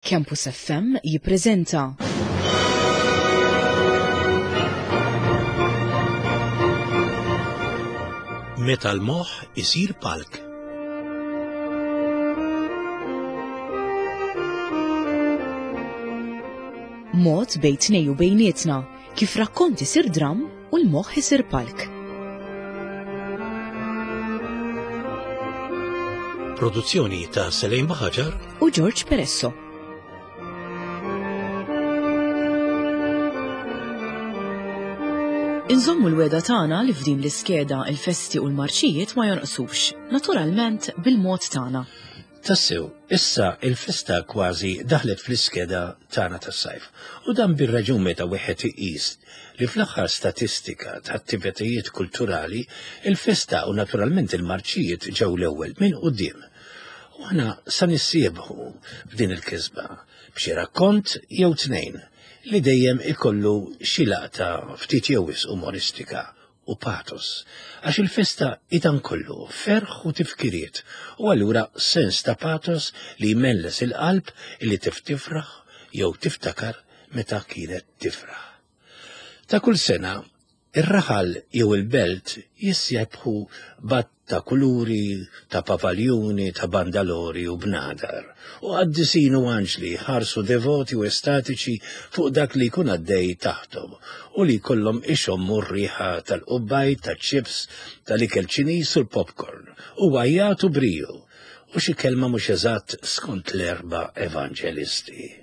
Campus FM jippreżenta. Meta l-moħħ isir palk. Mod bejn tnej u bejnietna kif rakkont isir dramm u l-moħħ isir palk. Produzzjoni ta' Selejn Baħaġar u George Peresso. Inżommu l-weda tagħna li f'din l-iskeda il-festi u l-marċijiet ma jonqsux, naturalment bil-mod tagħna. Tassew, issa il-festa kważi daħlet fl-iskeda tagħna tas-sajf. U dan bir-raġun meta wieħed iqis li fl-aħħar statistika ta' attivitajiet kulturali, il-festa u naturalment il-marċijiet ġew l-ewwel minn quddiem. U aħna sa nissiebħu b'din il-kisba b'xi rakkont jew tnejn li dejjem ikollu xi laqta ftit jew wisq umoristika u pathos, għax il-festa hi dan kollu, ferħ u tifkiriet, u allura sens ta' pathos li jmelles il-qalb illi tiftifraħ jew tiftakar meta kienet tifraħ. Ta' kull sena, ir-raħal jew il-belt jissebħu b'għadd ta' kuluri, ta' pavaljuni, ta' bandalori u bnadar, u qaddisin u anġli jħarsu devoti u estatiċi fuq dak li jkun għaddej taħthom u li jkollhom ixommu r-riħa tal-qubbajt, taċ-ċips, tal-ikel Ċiniż u l-popcorn, u għajjat u briju, u xi kelma mhux eżatt skont l-erba' evanġelisti.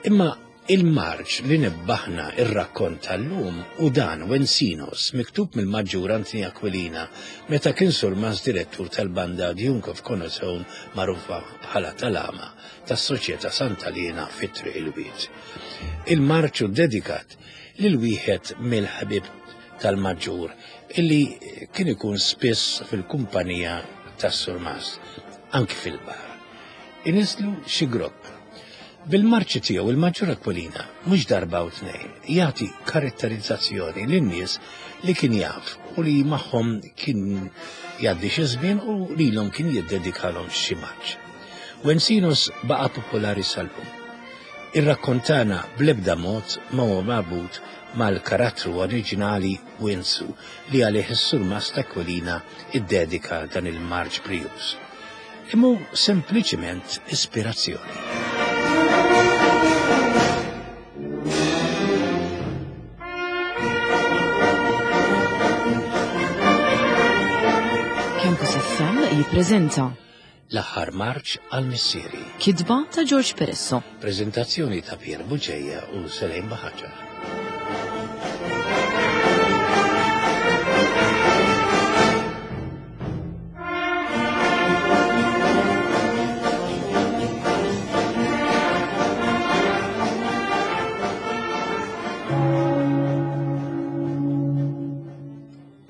Imma il-marċ li nibbaħna ir-rakkont tal-lum u dan Wensinos miktub mill-Maġġur Anthony Aquilina meta kien surmas direttur tal-banda Duke of Connaughton magħrufa bħala tal-Ama tas-Soċjetà Santa Liena fit-Triq il-Wied. Il-marċ hu ddedikat lil wieħed mill-ħbieb tal-Maġġur illi kien ikun spiss fil-kumpanija tas-Surmast, anki fil-bar. Iniżlu xi grokk. Bil-marċi tiegħu il-Maġġur Aquilina mhux darba u tnejn jagħti karatterizzazzjoni lin-nies li kien jaf u li magħhom kien jgħaddi xi żmien u lilhom kien jiddedikalhom xi marċ. Wensinos baqa' popolari sal-lum. Ir-rakkont tagħna bl-ebda mod ma huwa marbut mal-karattru oriġinali Winsu li għalih is-Surmast Aquilina ddedika dan il-marċ brijuż. Imma hu sempliċiment ispirazzjoni. Campus FM jippreżenta L-aħħar marċ għal missieri. Kitba ta' George Peresso. Preżentazzjoni ta' Pier Buġeja u Selejn Baħaġar.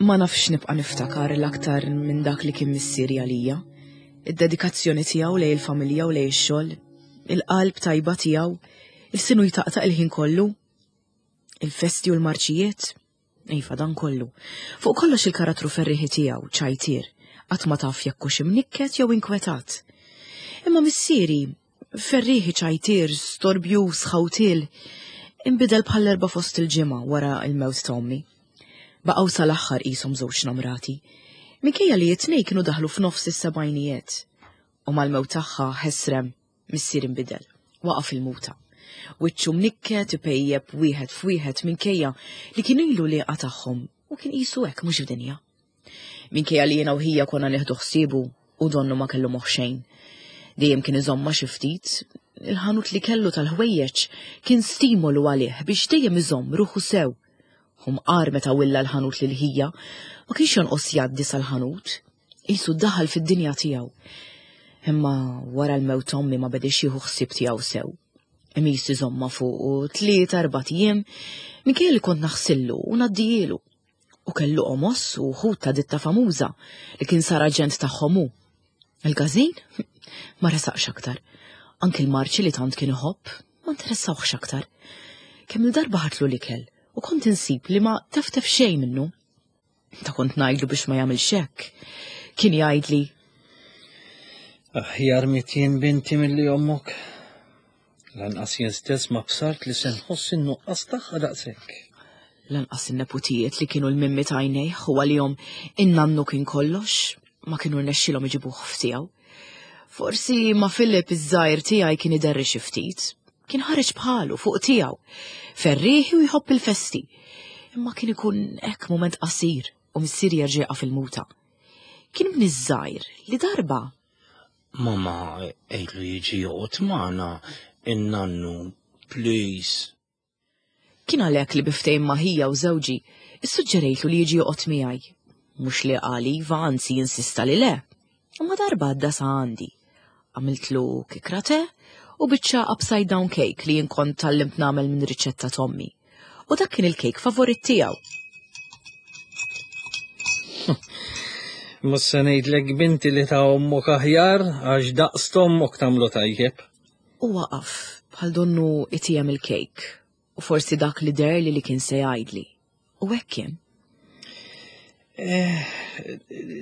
Ma nafx nibqa' niftakar l-aktar minn dak li kien missieri għalija. Id-dedikazzjoni tiegħu lejn il-familja u lejn ix-xogħol, il-qalb tajba tiegħu, il-sinu jtaqtaq il-ħin kollu, il-festi u l-marċijiet, iva dan kollu. Fuq kollox il-karattru ferriħi tiegħu, ċajtier, qatt ma taf jekk hux imnikket jew inkwetat. Imma missieri, Ferrieħi ċajtier, storbjuż, ħawtiel, inbidel bħall-erba' fost il-ġimgħa wara l-mewt ta' ommi. Baqgħu sal-aħħar qishom żewġ namrati. Minkejja li it-tnejn kienu daħlu f'nofs is-sebgħinijiet. U mal-mewt tagħha ħesrem, missier inbidel. Waqa' fil-muta. Wiċċu mnikket ipejjep wieħed f'wieħed minkejja li kien ilu li tagħhom u kien qisu hekk mhux f'dinja. Minkejja li jiena u ħija konna nieħdu ħsiebu u donnu ma kellu moħħ xejn. Dejjem kien iżommha xi ftit, il-ħanut li kellu tal-ħwejjeġ kien stimolu għalih biex dejjem iżomm ruħu sew. Hu mqar meta willa l-ħanut lil ħija, ma kienx jonqos jgħaddi sal-ħanut. Qisu daħal fid-dinja tiegħu. Imma wara l-mewt ommi ma bediex jieħu ħsieb tiegħu sew. Imis iżomma fuq tlieta erbat ijiem minkejja li kont naħsillu u ngħaddijielu. U kellu qomos u ħut ta' ditta famuża li kien sar aġent tagħhom hu. Il-każin ma resaqx aktar. Anki l-marċi li tant kien iħobb ma interessawhx aktar. Kemm il-darba ħatlu l-ikel u kont insib li ma teftef xejn minnu. Ta' kont ngħidlu biex ma jagħmilx hekk. Kien jgħidli Aħjar mitjien binti milli ommok. Lanqas jien stess ma bsart li se nħoss in-nuqqas tagħha daqshekk. Lanqas in-neputijiet li kienu l-mimmi t'għajnejh u għalihom in-nannu kien kollox, ma kienu rnexxilhom iġibuh f'tiegħu. Forsi ma' Philip iż-żgħir tiegħi kien iderri xi ftit. Kien ħareġ bħalu fuq tiegħu, ferrieħi u jħobb il-festi. Imma kien ikun hekk mument qasir u missieri jerġa' jaqa' fil-muta. Kien ibni ż-żgħir li darba. Mama, għidlu jiġi joqgħod magħna in-nannu, please. Kien għalhekk li bi ftehim ma' ħija u żewġi, issuġġerejtlu li jiġi joqgħod miegħi. Mhux li qal iva, anzi insista li le. Imma darba għadda sa għandi. Għamiltlu kikra te u biċċa upside down cake li jien kont tgħallimt nagħmel minn riċetta t'ommi. U dak kien il-kejk favorit tiegħu. Mhux se ngħidlek binti li ta' ommok aħjar għax daqs t'ommok tagħmlu tajjeb. U waqaf bħal donnu itijem il-kejk u forsi dak li deher li li kien se jgħidli. U hekk kien. Eh,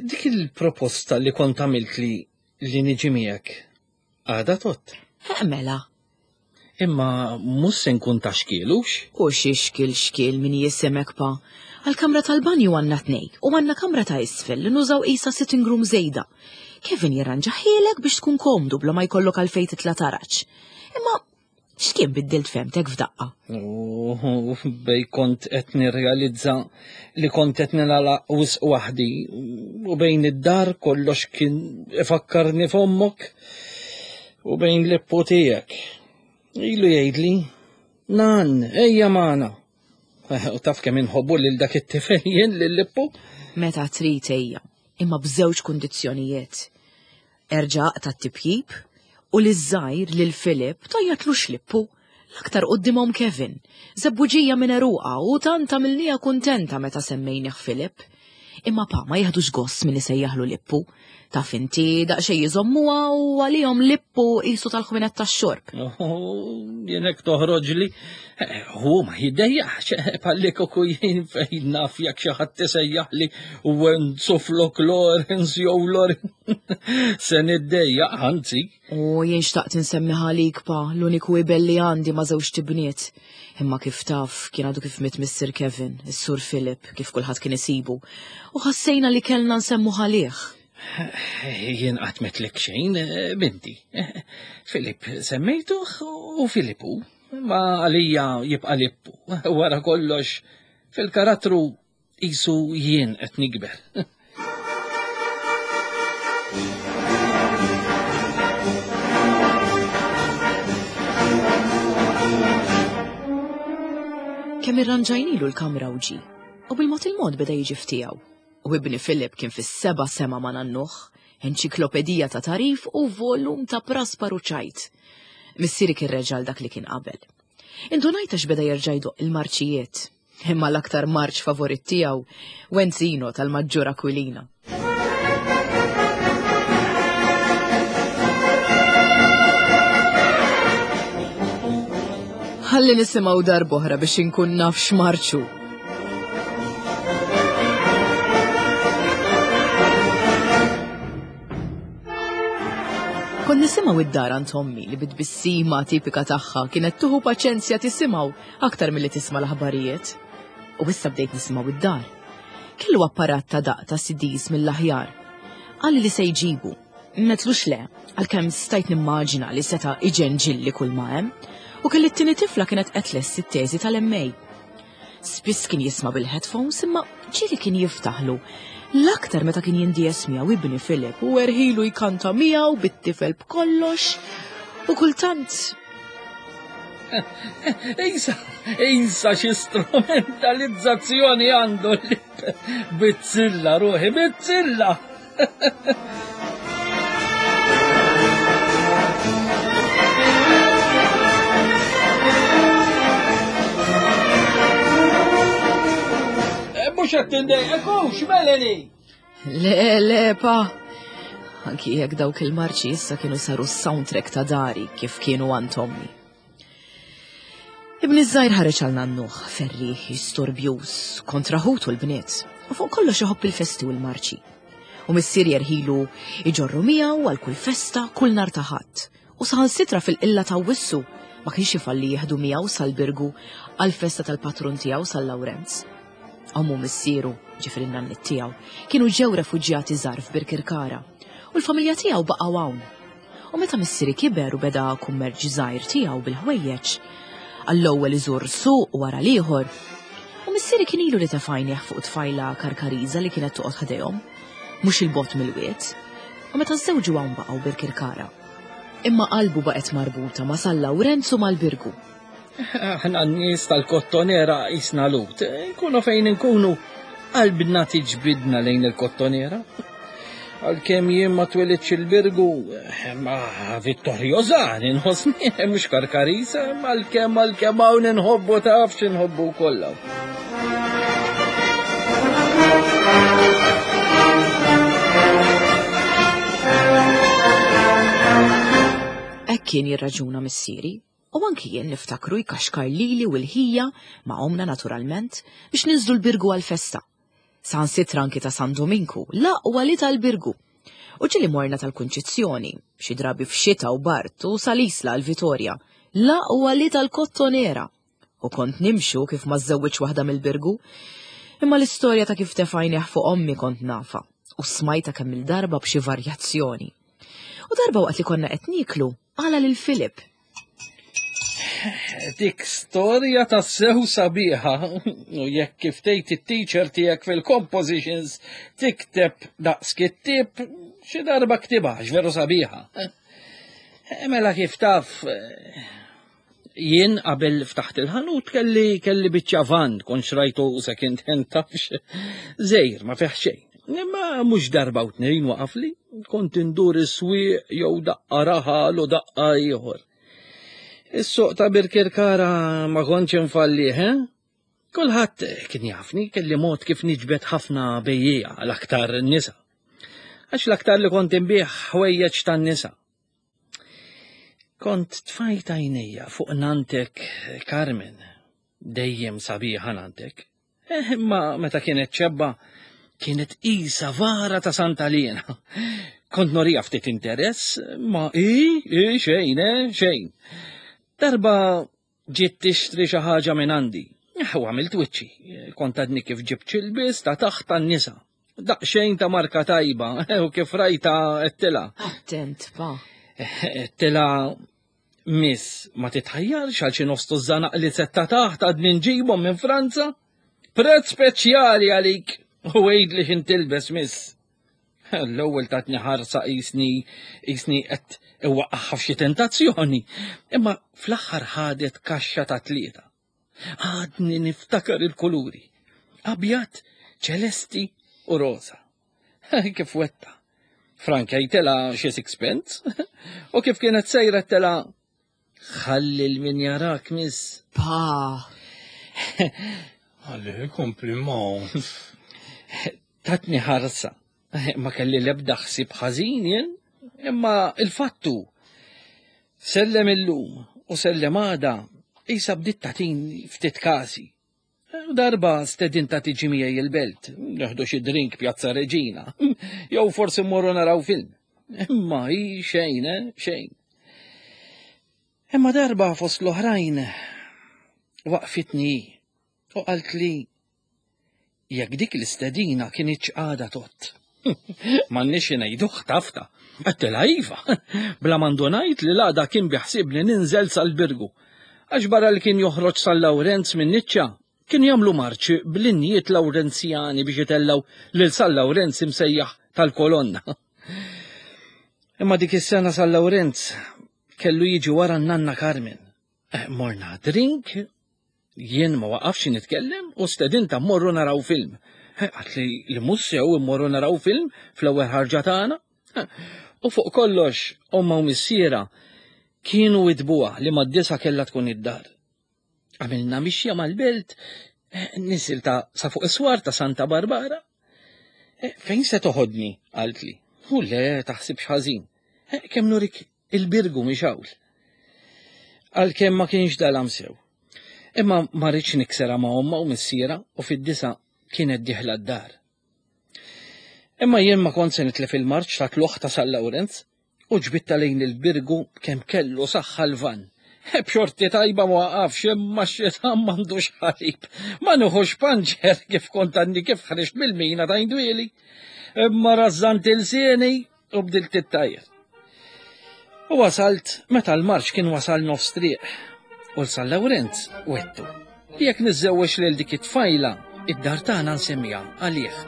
dik il-proposta li kont għamilt li li niġi miegħek għada tot. Eh, mela. Imma mhux se nkun ta' xkielux. U xi xkiel xkiel min jisimek pa. Għal-kamra tal-banju għandna tnej u għandna kamra ta' isfel li nużaw qisha sitting room żejda. Kevin jirranġa ħielek biex tkun komdu bla ma jkollok għalfejn titla' taraġ. Imma x'kien biddilt femtek f'daqqa? U bej kont qed nirrealizza li kont qed nilgħalaq wisq waħdi u bejn id-dar kollox kien ifakkarni f'ommok u bejn l-ippu tiegħek. Ilu jgħidli, nan, ejja magħna. U taf kemm inħobbu lil dak it-tifel jien lil Lippu? Meta trid ejja, imma b'żewġ kundizzjonijiet. Erġa' aqta' t-tipjip u liż-żgħir lil Philip tgħajjatlux Lippu, l-aktar quddiemhom Kevin. Żebbuġija minn għeruqha u tant għamilniha kuntenta meta semmejnih Philip. Imma pa ma jiħdux gost min isejjaħlu Lippu. Taf inti daqsxejn iżommuha u għalihom Lippu qisu tal-ħwienet tax-xorb. Jien hekk toħroġli. Hu ma jiddejjax, palli kieku jien fejn naf jekk xi ħadd isejjaħli Wenzoflok Lawrence jew Lawrence. Se niddejjaq, anzi. U jien xtaqt insemmi ħalik pa, l-uniku ibel li għandi ma' żewġt ibniet. Imma kif taf, kien għadu kif miet missier Kevin, is-Sur Philip, kif kulħadd kien isibu. U ħassejna li kellna nsemmu ħalih. Jien qatt metlek xejn, binti. Philip semmejtuh u Filippu. Ma għalija jibqa' Lippu. Wara kollox, fil-karattru Qisu jien qed nikber. Kemm irranġajnilu l-kamra u ġie, u bil-mod il-mod beda jiġi f'tiegħu. U ibni Philip kien fis-seba' sema ma' nannuh, enċiklopedija ta' tagħrif u volum ta' praspar u ċajt. Missieri kien reġa' għal dak li kien qabel. Indunajt għax beda jerġa' jdoqq il-marċijiet. Imma l-aktar marċ favorit tiegħu, Wenzino tal-Maġġur Aquilina. Ħalli nisimgħu darb'oħra biex inkun naf x'marċu. Kont nisimgħu id-dar għand ommi li bit-tbissima tipika tagħha kienet tuħu paċenzja tisimgħu aktar milli tisma' l-aħbarijiet. U issa bdejt nisimgħu id-dar. Kellu apparat ta' daq ta' CDs mill-aħjar. Qalli li se jġibu. Metlux le, għalkemm stajt nimmaġina li seta' iġenġilli kull ma hemm, u kelli t-tieni tifla kienet qed tlesti t-teżi tal-MA. Spiss kien jisma' bil-headphones imma ġieli kien jiftaħlu. L-aktar meta kien jindies miegħu ibni Philip u erħilu jkanta miegħu bit-tifel b'kollox u kultant Ejsa, ejsa xi strumentalizzazzjoni għandu li bizzilla ruħi, bizzilla! Eh, mhux qed tindejqek hux, Melanie! Le, le, pa. Anki jekk dawk il-marċi issa kienu saru s-soundtrack ta' dari kif kienu għand ommi. Ibni ż-żgħir ħareġ għal nannuh, ferrieħi, storbjuż, kontra ħutu l-bniet, u fuq kollox iħobb il-festi u l-marċi. U missier jerħilu iġorru miegħu għal kull festa kull nhar ta' Ħadd. U saħansitra fil-qilla ta' Wissu ma kienx ifalli jieħdu miegħu sal-Birgu għall-festa tal-patrun tiegħu San Lawrenz. Ommu missieru, ġifieri n-nanniet tiegħu, kienu ġew refuġjati żgħar f'Birkirkara u l-familja tiegħu baqgħu hawn. U meta missieri kiber u beda kummerċ żgħir tiegħu bil-ħwejjeġ, għall-ewwel iżur suq wara l-ieħor. U missieri kien ilu li tefa' għajnejh fuq tfajla Karkariża li kienet toqgħod ħdejhom, mhux 'il bogħod mill-wied. U meta żżewġu hawn baqgħu Birkirkara. Imma qalbu baqgħet marbuta ma' San Lawrenz u mal-Birgu. Aħna n-nies tal-Kottonera qisna lut. Nkunu fejn inkunu, qalbna tiġbidna lejn il-Kottonera. Għalkemm jien ma twelidx il-Birgu, ma Vittoriosan inħossni mhux Karkarisa, għalkemm għalkemm hawn inħobbu taf x'inħobbu kollha. Hekk kien jirraġuna missieri. U anki jien niftakru jkaxkar lili u l-ħija, ma' ommna naturalment, biex ninżlu l-Birgu għall-festa. Saħansitra anki ta' San Duminku, l-aqwa li tal-Birgu. U ġieli morna tal-Kunċizzjoni, xi drabi f'xita u bard u sal-Isla għall-Vitorja, l-aqwa li tal-Kottonera. U kont nimxu kif ma żżewwiġ waħda mill-Birgu. Imma l-istorja ta' kif tefajnih fuq ommi kont nafha u smajtha kemm-il darba b'xi varjazzjoni. U darba waqt li konna qed nieklu, Qala lil Filip. Dik storja ta' sew sabiħa. U jekk kif tgħid it-teacher tiegħek fil-compositions tikteb daqs kittib, xi darba ktibha veru sabiħa. Eh, mela kif taf jien qabel ftaħt il-ħanut kelli kelli biċċa van kont xrajtu second hand tafx. Żejr ma fih xejn. Imma mhux darba u tnejn waqafli, kont indur is-swieq jew daqqa raħal u daqqa ieħor. Is-suq ta' Birkirkara ma kontx infallih, eh? Kulħadd kien jafni kelli mod kif niġbed ħafna bejjiegħa l-aktar nisa. Għax l-aktar li kont inbih ħwejjeġ tan-nisa. Kont tfajt għajnejja fuq nantek Carmen, dejjem sabiħa nantek. Eh, imma meta kienet ċebba, kienet isa vara ta' Santa Liena. Kont norija ftit interess, ma i, i, xejn, eh, xejn. Darba ġiet tixtri xi ħaġa minn għandi. Eh, u għamilt wiċċi, kont għadni kif ġibt xi ta' taħt tan-nisa. Daqsxejn ta' marka tajba, eh, u kif rajta għedtilha. Attent, pa. Għedtilha Miss, ma titħajjarx għal xi nofs tużżana qliezet ta' taħt għadni nġibhom minn Franza? Prezz speċjali għalik u għidli x'in tilbes, miss. L-ewwel tatni ħarsa qisni qisni qed iwaqqagħha f'xi tentazzjoni, imma fl-aħħar ħadet kaxxa ta' tlieta. Għadni niftakar il-kuluri. Abjad, ċelesti u rosa. Kif wetta. Frankejtela xi sixpence u kif kienet sejra tela ħalli l-min jarak miss. Pa. Ħalli kompli ma. Tatni ħarsa. Ma kelli l-ebda ħsieb ħażin jien, imma il-fattu sellem illum u sellem għada qisha bdiet tagħtini ftit kasi. Darba stedinta tiġi miegħi il-belt, neħdu xi drink Pjazza Reġina, jew forsi mmorru naraw film. Imma hi xejn, eh, xejn. Imma darba fost l-oħrajn waqfitni u qaltli Jekk dik l-istedina kinitx għadha tgħodd. M'għandniex xi ngħidu ħtafta. Għedtilha iva. Bla ma ndunajt li l-għada kien biħsiebni ninżel sal-Birgu. Għax barra li kien joħroġ San Lawrenz min-niċċa, kienu jagħmlu marċ bl-innijiet Lawrenzjani biex itellgħu lil San Lawrenz imsejjaħ tal-Kolonna. Imma dik is-sena San Lawrenz kellu jiġi wara n-nanna Carmen. Eh, morna drink, jien ma waqafx nitkellem u stedinta mmorru naraw film. Eh, għat li li mhux sew immorru naraw film fl-ewwel ħarġa tagħna. Eh, u fuq kollox, omma u missiera kienu idbuha li mad-disa kellha tkun id-dar. Għamilna mixja mal-belt, nisil ta' sa fuq is-swar ta' Santa Barbara. Fejn se toħodni? qaltli. U le taħsibx ħażin. Kemm nurik Il-Birgu mhix hawn. Għalkemm ma kienx dalam sew. Imma ma rridx niksera ma' omma u missiera u fid-disa kienet dieħla d-dar. Imma jien ma kont se nitlef il-marċ ta' tluħ ta' San Lawrenz u ġbidtha lejn il-Birgu b'kemm kellu saħħa l-vann. B'xorti tajba ma waqafx imma x-xitan m'għandux ħalib. Ma nieħux panċer kif kont għadni kif ħriġt mill-mina ta' Indwieli. Imma rażżant ilsieni u bdilt it-tajr. U wasalt meta l-marċ kien wasal nofs triq. U l-San Lawrenz wettu. Li jekk niżżewweġ lil dik it-tfajla, id-dar tagħna nsemmiha għalih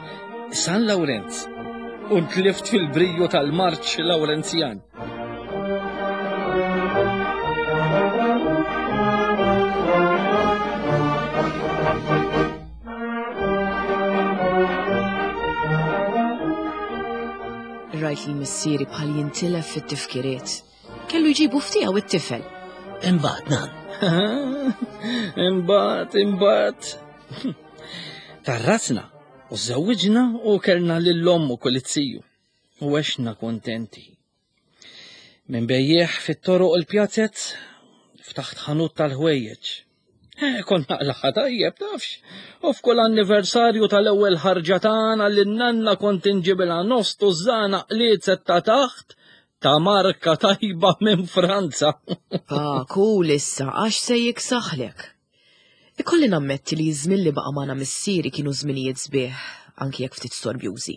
San Lawrenz. U ntlift fil-briju tal-marċ Lawrenzjan. Rajt li missieri bħal jintilef fit-tifkiriet. Kellu jġibu ftiegħu it-tifel. Imbagħad nan. Imbagħad, imbagħad. Tarrasna u żewwiġna u kellna lil-omm u kulizziju. U għexna kontenti. Minn bejjeħ fit-toroq u l-pjazez ftaħt ħanut tal-ħwejjeġ. Eh, kont naqlaħa tajjeb, tafx. U f'kull anniversarju tal-ewwel ħarġa tagħna lin nanna kont inġibilha nofs tużżana qliezet ta' taħt ta' marka tajba minn Franza. Pa, kul issa, għax se jiksaħlek. Ikolli nammetti li ż-żmien li baqa' magħna missieri kienu żminijiet sbieħ, anki jekk ftit storbjużi.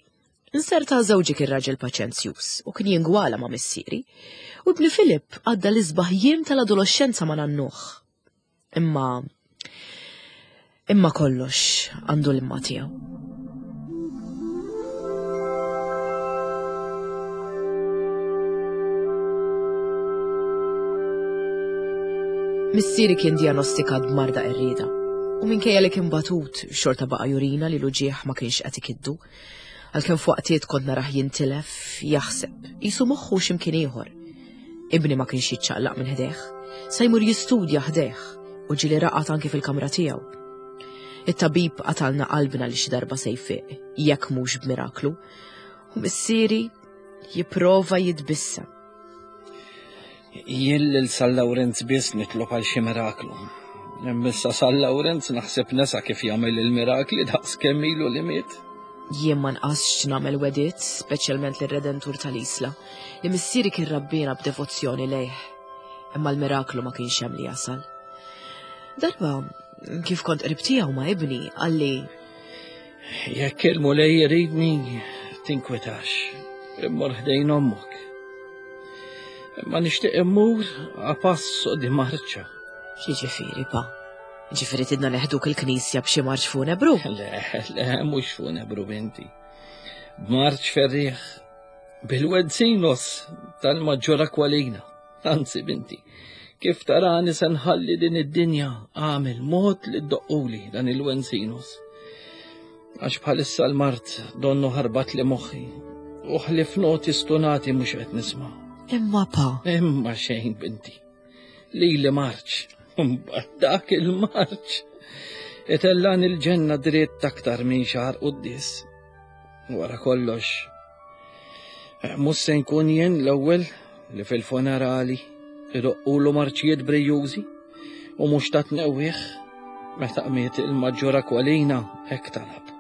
Inserta żewġi kien raġel paċenzjuż u kien jingwala ma' missieri, u ibni Filip għadda l-isbaħ jiem tal-adoloxxenza ma' nannuh. Imma imma kollox għandu l-imma tiegħu. Missieri kien diagnostikat b'marda qerrieda u minkejja li kien batut xorta baqa' jurina li l-uġieħ ma kienx qed ikiddu. Għalkemm f'waqtiet kont narah jintilef, jaħseb, qisu moħħu x'imkien ieħor. Ibni ma kienx jiċċaqlaq minn ħdejh, sa jmur jistudja ħdejh u ġieli raqad anki fil-kamra tiegħu. It-tabib qatalna qalbna li xi darba se jfiq, jekk mhux b'miraklu. U missieri jipprova jitbissem. Jien lil San Lawrenz biss nitlob għal xi miraklu. Imma San Lawrenz naħseb nesa kif jagħmel il-mirakli daqs kemm ilu li miet. Jien ma nqasx nagħmel wedit, speċjalment lir-Redentur tal-Isla, li missieri kien rabbina b'devozzjoni lejh. Imma l-miraklu ma kienx hemm li jasal. Darba, kif kont qrib tiegħu ma' ibni, qalli Jekk il-Mulej iridni, tinkwetax, immur ħdejn ommok. Imma nixtieq immur a passo di marċa. X'jiġifieri, pa? Ġifieri tidna neħduk il-knisja b'xi marċ funebru? Le, le, mhux funebru binti. B'marċ ferrieħ bil-Wenzinos tal-Maġġor Aqualina. Anzi, binti, kif tarani se nħalli din id-dinja għamel mod li ddoqquli dan il-Wenzinos. Għax bħalissa l-mart donnu ħarbat li moħħi u ħlif noti stunati mhux qed nisma'. Imma pa. Imma xejn, binti. Li li marċ, mbagħad dak il-marċ. Itellan il-ġenna dritt aktar minn xahar quddis. Wara kollox, eh, mhux se nkun jien l-ewwel li fil-funerali idoqqulu marċijiet brijużi u mhux ta' tnewwieħ meta qmiet il-maġġor Aqualina hekk talab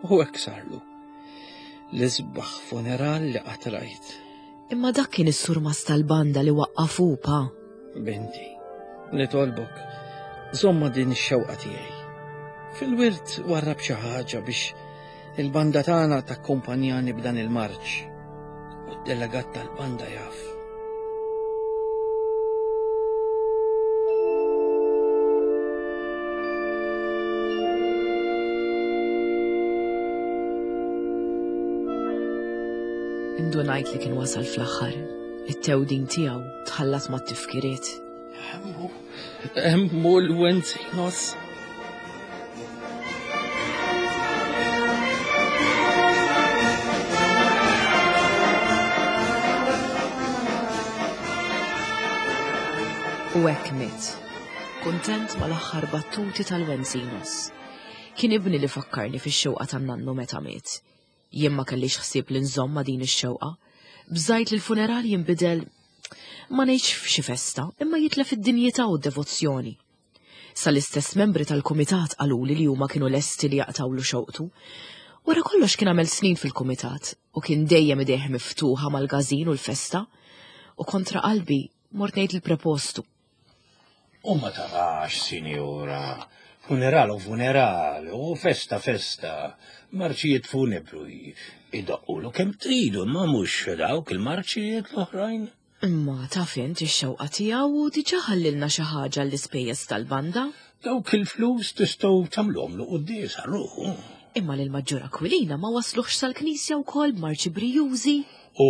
u hekk sarlu. L-isbaħ funeral li qatt rajt. Imma dak kien is-surmast tal-banda li waqqafu pa. Binti, nitolbok, żomma din ix-xewqa tiegħi. Fil-wirt warrab xi ħaġa biex il-banda tagħna takkumpanjani b'dan il-marċ. U d-delegat tal-banda jaf. Indunajt li kien wasal fl-aħħar. It-tewdin tiegħu tħallat mat-tifkiriet. Emmu, emmu l-Wenzinos. U hekk miet. Kuntent mal-aħħar battuti tal-Wenzinos. Kien ibni li fakkarni fix-xewqa tan-nannu meta miet. Jien ma kellix ħsieb li nżomm ma' din ix-xewqa. Bżajt li l-funeral jinbidel ma ngħidx f'xi festa, imma jitlef id-dinjità u d-devozzjoni. Sal-istess membri tal-kumitat qaluli li huma kienu lesti li jaqtgħulu xewqtu. Wara kollox kien għamel snin fil-kumitat u kien dejjem idejh miftuħa mal-gażin u l-festa u kontra qalbi mort ngħid il-prepostu. U ma tarax, sinjura, funeral u funeral, u festa festa, marċijiet funebru idoqqulu kemm tridu, ma mhux dawk il-marċijiet l-oħrajn. Imma taf int ix-xewqa tiegħu u diġà ħallilna xi ħaġa għall-ispejjeż tal-banda. Dawk il-flus tistgħu tagħmluhomlu quddiesa ruħu. Imma lil Maġġur Aquilina ma wassluhx sal-knisja wkoll b'marċi brijużi? U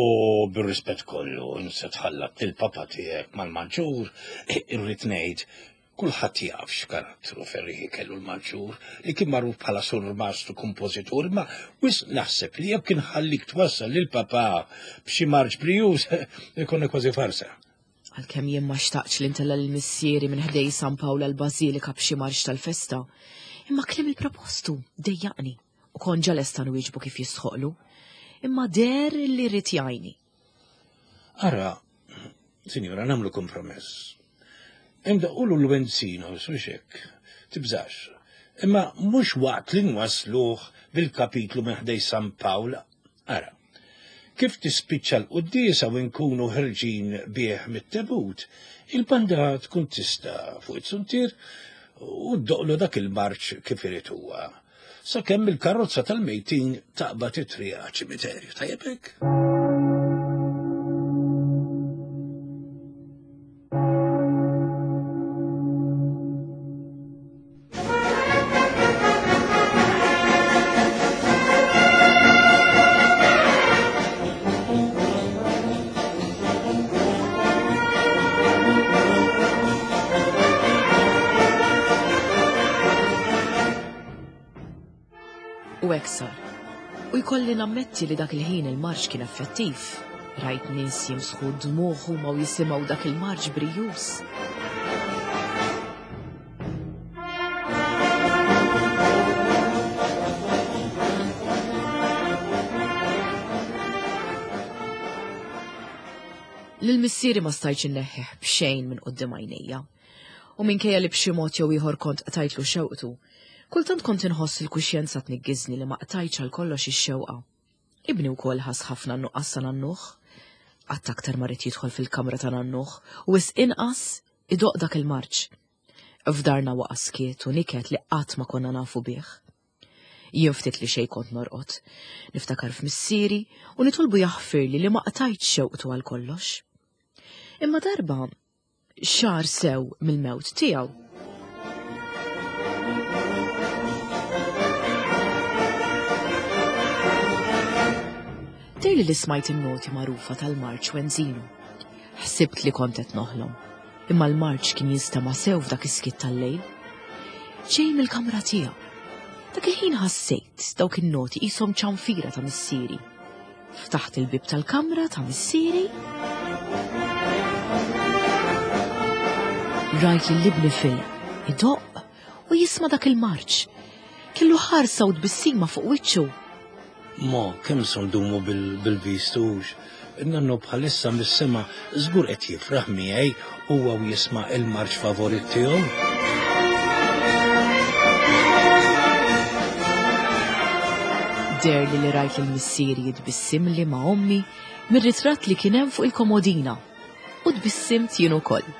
bir-rispett kollu, insa tħallat lill-papa tiegħek mal-Maġġur, irrid ngħid Kulħadd jaf x'karattru ferrieħi kellu l-Maġġur, li kien magħruf bħala surmast u kompożitur, imma wisq naħseb li jekk inħallik twassal lil papà b'xi marċ brijuż, ikun kważi farsa. Għalkemm jien ma xtaqtx li ntella' lil missieri minn ħdej San Pawl għall-Bażilika b'xi marċ tal-festa, imma kliem il-propostu dejjaqni u kont ġa lesta nwieġbu kif jistħoqlu. Imma deher li ried jgħinni. Ara, sinjura, namlu kompromess. Indaqqulu l-wenzino, suxek, tibżax. Imma mhux waqt li nwasluh bil-kapitlu minn ħdej San Pawl, ara. Kif tispiċċa l-quddiesa u nkunu ħerġin bih mit-tebut, il-banda tkun tista' fuq it-suntier u ddoqlu dak il-marċ kif irid huwa. Sakemm il-karozza tal-mejtin taqbad it-triq għaċ-ċimiterju, tajjeb hekk? U hekk sar. U jkolli nammetti li dak il-ħin il-marċ kien effettiv. Rajt nies jimsħu dmugħ huma u jisimgħu dak il-marċ brijuż. Lil missieri ma stajtx inneħħih b'xejn minn quddiem għajnejja. U minkejja li b'xi mod jew ieħor kont qtajtlu xewqtu, kultant kont inħoss il-kuxjenza tniggiżni li ma qtajtx għal kollox ix-xewqa. Ibni wkoll ħass ħafna n-nuqqas ta' nannuh. Qatt aktar ma ried jidħol fil-kamra ta' nannuh u wisq inqas idoqq dak il-marċ. F'darna waqa' skiet u niket li qatt ma konna nafu bih. Jien ftit li xejn kont norqod. Niftakar f'missieri u nitolbu jaħfirli li ma qtajtx xewqtu għal kollox. Imma darba xahar sew mill-mewt tiegħu. Dehrli li smajt in-noti magħrufa tal-marċ Wenzino. Ħsibt li kont qed noħlom, imma l-marċ kien jinstema' sew f'dak is-skiet tal-lejl. Ġej mill-kamra tiegħu. Dak il-ħin ħassejt dawk in-noti qishom ċanfira ta' missieri. Ftaħt il-bieb tal-kamra ta' missieri. Rajt lil ibni Phil idoqq u jisma' dak il-marċ. Kellu ħarsa u tbissima fuq wiċċu. Mo, kemm se ndumu bil-vistux? Nannu bħalissa mis-sema żgur qed jifraħ miegħi huwa u jisma' il-marċ favorit tiegħu. Deherli li rajt lil missieri jitbissimli ma' ommi mir-ritratt li kien hemm fuq il-komodina u tbissimt jien ukoll.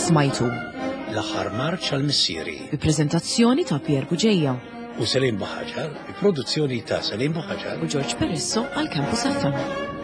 Smajtu. L-aħħar marċ għal missieri. Bi preżentazzjoni ta' Pier Buġeja. U Selim Buħaġar, bi produzzjoni ta' Selim Buħaġar. U George Perisso għal Campus FM.